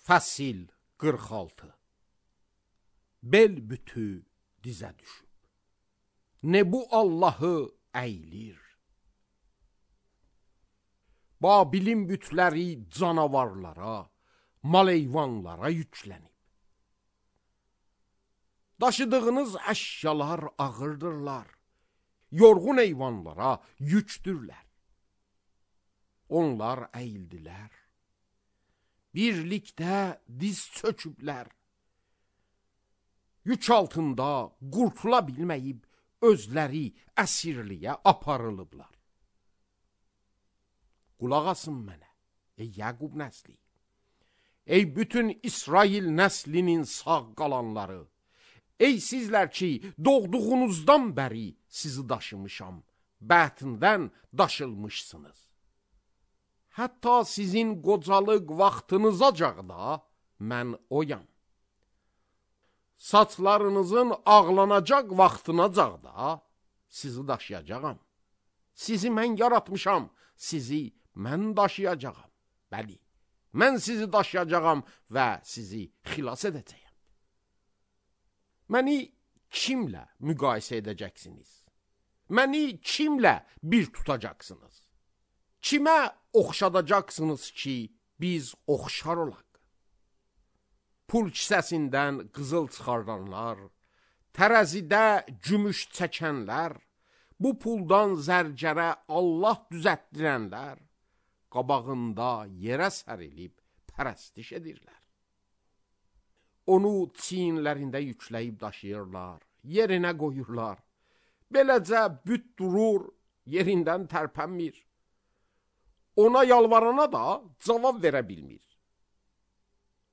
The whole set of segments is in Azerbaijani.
Fəsil 46. Bel bütü dizə düşüb, Nebu Allahı əylir. Babilin bütləri canavarlara, maleyvanlara yüklənib. Daşıdığınız əşyalar ağırdırlar, yorğun heyvanlara yükdürlər. Onlar əyildilər, birlikdə diz çöküblər. Yük altında qurtula bilməyib, özləri əsirliyə aparılıblar. Qulaq asın mənə, ey Yaqub nəsli, ey bütün İsrail nəslinin sağ qalanları, ey sizlər ki, doğduğunuzdan bəri sizi daşımışam, bətndən daşılmışsınız. Hətta sizin qocalıq vaxtınızacaq da mən oyam. Saçlarınızın ağlanacaq vaxtınacaq da sizi daşıyacağam. Sizi mən yaratmışam, sizi mən daşıyacağam. Bəli, mən sizi daşıyacağam və sizi xilas edəcəyəm. Məni kimlə müqayisə edəcəksiniz? Məni kimlə bir tutacaqsınız? Kimə oxşadacaqsınız ki, biz oxşar olaq? Pul kisəsindən qızıl çıxardanlar, tərəzidə gümüş çəkənlər, bu puldan zərgərə Allah düzətdirənlər, qabağında yerə sərilib pərəstiş edirlər. Onu çiyinlərində yükləyib daşıyırlar, yerinə qoyurlar. Beləcə büt durur, yerindən tərpənmir. Ona yalvarana da cavab verə bilmir.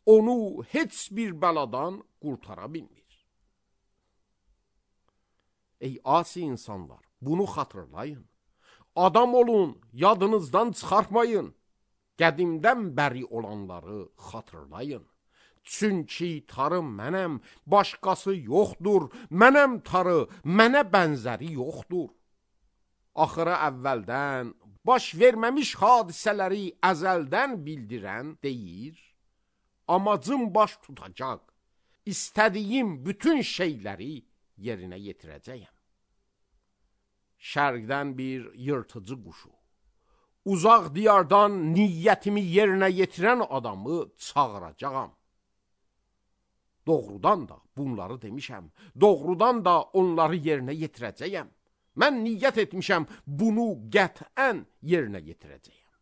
Onu heç bir bəladan qurtara bilmir. Ey asi insanlar, bunu xatırlayın. Adam olun, yadınızdan çıxartmayın. Qədimdən bəri olanları xatırlayın. Çünki tarı mənəm, başqası yoxdur. Mənəm tarı, mənə bənzəri yoxdur. Axıra əvvəldən, baş verməmiş hadisələri əzəldən bildirən deyir, amacım baş tutacaq, istədiyim bütün şeyləri yerinə yetirəcəyəm. Şərqdən bir yırtıcı quşu, uzaq diyardan niyyətimi yerinə yetirən adamı çağıracağam. Doğrudan da bunları demişəm, doğrudan da onları yerinə yetirəcəyəm. Mən niyyət etmişəm, bunu qətən yerinə yetirəcəyəm.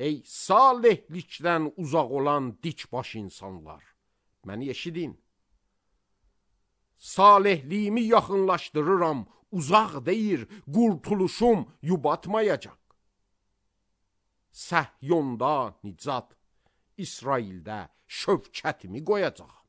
Ey salihlikdən uzaq olan dikbaş insanlar, məni eşidin. Salihliyimi yaxınlaşdırıram, uzaq deyir, qurtuluşum yubatmayacaq. Səhyonda nicat, İsraildə şövkətimi qoyacaq.